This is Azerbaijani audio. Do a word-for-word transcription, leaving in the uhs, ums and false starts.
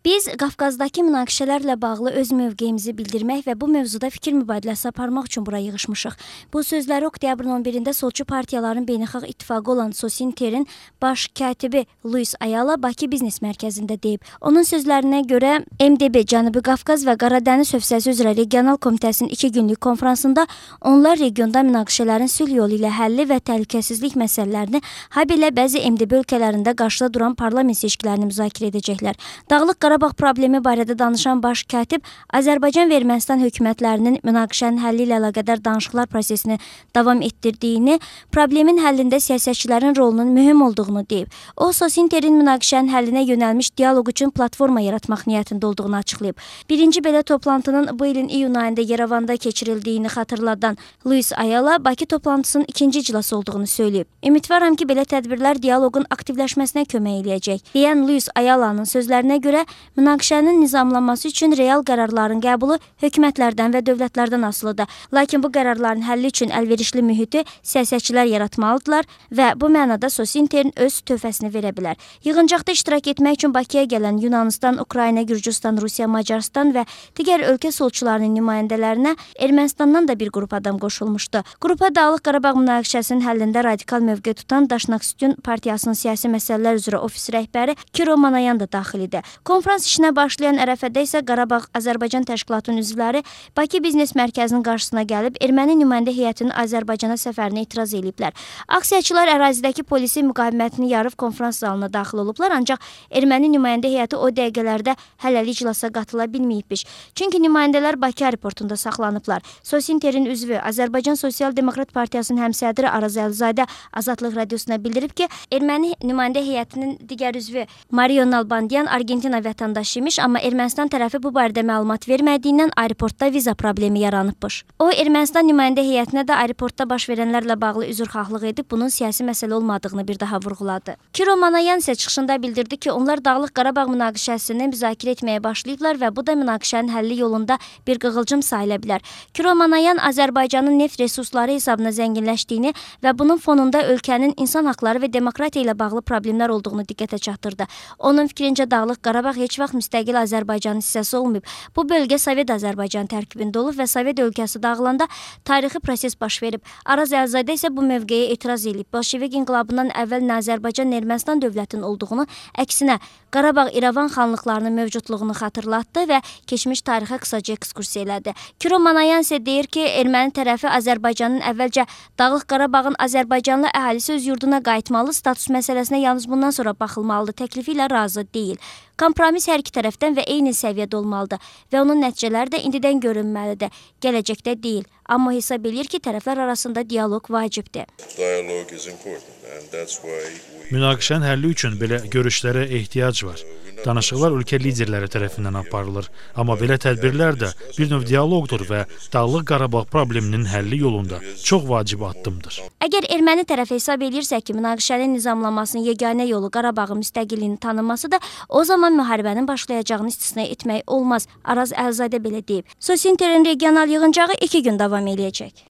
Biz Qafqazdakı münaqişələrlə bağlı öz mövqeyimizi bildirmək və bu mövzuda fikir mübadiləsi aparmaq üçün bura yığışmışıq. Bu sözləri oktyabrın on birində solçu partiyaların beynəlxalq ittifaqı olan Sosinterin baş katibi Luis Ayala Bakı Biznes Mərkəzində deyib. Onun sözlərinə görə M D B Cənubi Qafqaz və Qaradəniz hövzəsi üzrə regional komitəsinin iki günlük konfransında onlar regionda münaqişələrin sülh yolu ilə həlli və təhlükəsizlik məsələlərini, habelə bəzi M D B ölkələrində qarşıda duran parlament seçkilərini müzakirə edəcəklər. Dağlıq Qarabağ problemi barədə danışan baş katib Azərbaycan və Ermənistan hökumətlərinin münaqişənin həlli ilə əlaqədar danışıqlar prosesini davam etdirdiyini, problemin həllində siyasətçilərin rolunun mühüm olduğunu deyib. O, Sosinterin münaqişənin həllinə yönəlmiş dialoq üçün platforma yaratmaq niyyətində olduğunu açıqlayıb. Birinci belə toplantının bu ilin iyun ayında Yerevanda keçirildiyini xatırladan Luis Ayala, Bakı toplantısının ikinci iclası olduğunu söyləyib. Ümidvaram ki, belə tədbirlər dialoqun aktivləşməsinə kömək eləyəcək, deyən Luis Ayalanın sözlərinə görə münaqişənin nizamlanması üçün real qərarların qəbulu hökumətlərdən və dövlətlərdən asılıdır. Lakin bu qərarların həlli üçün əlverişli mühiti siyasətçilər yaratmalıdırlar və bu mənada Sosinterin öz töhfəsini verə bilər. Yığıncaqda iştirak etmək üçün Bakıya gələn Yunanistan, Ukrayna, Gürcüstan, Rusiya, Macarıstan və digər ölkə solçularının nümayəndələrinə Ermənistandan da bir qrup adam qoşulmuşdu. Qrupa Dağlıq Qarabağ münaqişəsinin həllində radikal mövqe tutan Daşnaksutyun partiyasının siyasi məsələlər üzrə ofis rəhbəri Kiro Manayan da daxil idi. Konfrans işinə başlayan ərəfədə isə Qarabağ Azərbaycan təşkilatının üzvləri Bakı Biznes Mərkəzinin qarşısına gəlib erməni nümayəndə heyətinin Azərbaycana səfərinə etiraz ediblər. Aksiyaçılar ərazidəki polisi müqavimətini yarıb konfrans zalına daxil olublar, ancaq erməni nümayəndə heyəti o dəqiqələrdə hələlik iclasa qatıla bilməyibmiş. Çünki nümayəndələr Bakı aeroportunda saxlanıblar. Sosinterin üzvü Azərbaycan Sosial Demokrat Partiyasının həmsədri Araz Əlizadə Azadlıq Radiosuna bildirib ki, erməni nümayəndə heyətinin digər üzvü Mario Nalbandian Argentina vətəndaşı imiş, amma Ermənistan tərəfi bu barədə məlumat vermədiyindən aeroportda viza problemi yaranıbmış. O, Ermənistan nümayəndə heyətinə də aeroportda baş verənlərlə bağlı üzrxahlıq edib, bunun siyasi məsələ olmadığını bir daha vurğuladı. Kiro Manayan isə çıxışında bildirdi ki, onlar Dağlıq Qarabağ münaqişəsini müzakirə etməyə başlayıblar və bu da münaqişənin həlli yolunda bir qığılcım sayıla bilər. Kiro Manayan Azərbaycanın neft resursları hesabına zənginləşdiyini və bunun fonunda ölkənin insan haqları və demokratiya ilə bağlı problemlər olduğunu diqqətə çatdırdı. Onun fikrincə Dağlıq Qarabağ heç vaxt müstəqil Azərbaycanın hissəsi olmayıb. Bu bölgə Sovet Azərbaycan tərkibində olub və Sovet ölkəsi dağılanda tarixi proses baş verib. Araz Əlizadə isə bu mövqeyə etiraz edib. Bolşevik inqilabından əvvəl nə Azərbaycan, nə Ermənistan dövlətinin olduğunu, əksinə Qarabağ-İrəvan xanlıqlarının mövcudluğunu xatırlatdı və keçmiş tarixə qısaca ekskursiya elədi. Kiro Manayan isə deyir ki, erməni tərəfi Azərbaycanın əvvəlcə Dağlıq Qarabağın Azərbaycanlı əhalisi öz yurduna qayıtmalı, status məsələsinə yalnız bundan sonra baxılmalıdır təklifi ilə razı deyil. Kompromis hər iki tərəfdən və eyni səviyyədə olmalıdır və onun nəticələri də indidən görünməlidir, gələcəkdə deyil. Amma hesab edir ki, tərəflər arasında dialoq vacibdir. Münaqişənin həlli üçün belə görüşlərə ehtiyac var. Danışıqlar ölkə liderləri tərəfindən aparılır. Amma belə tədbirlər də bir növ dialoqdur və Dağlıq Qarabağ probleminin həlli yolunda çox vacib addımdır. Əgər erməni tərəfi hesab edirsə ki, münaqişənin nizamlanmasının yeganə yolu Qarabağın müstəqilliyini tanınmasıdır, o zaman müharibənin başlayacağını istisna etmək olmaz. Araz Əlizadə belə deyib. Sosinterin regional yığıncağı iki gün davam edəcək.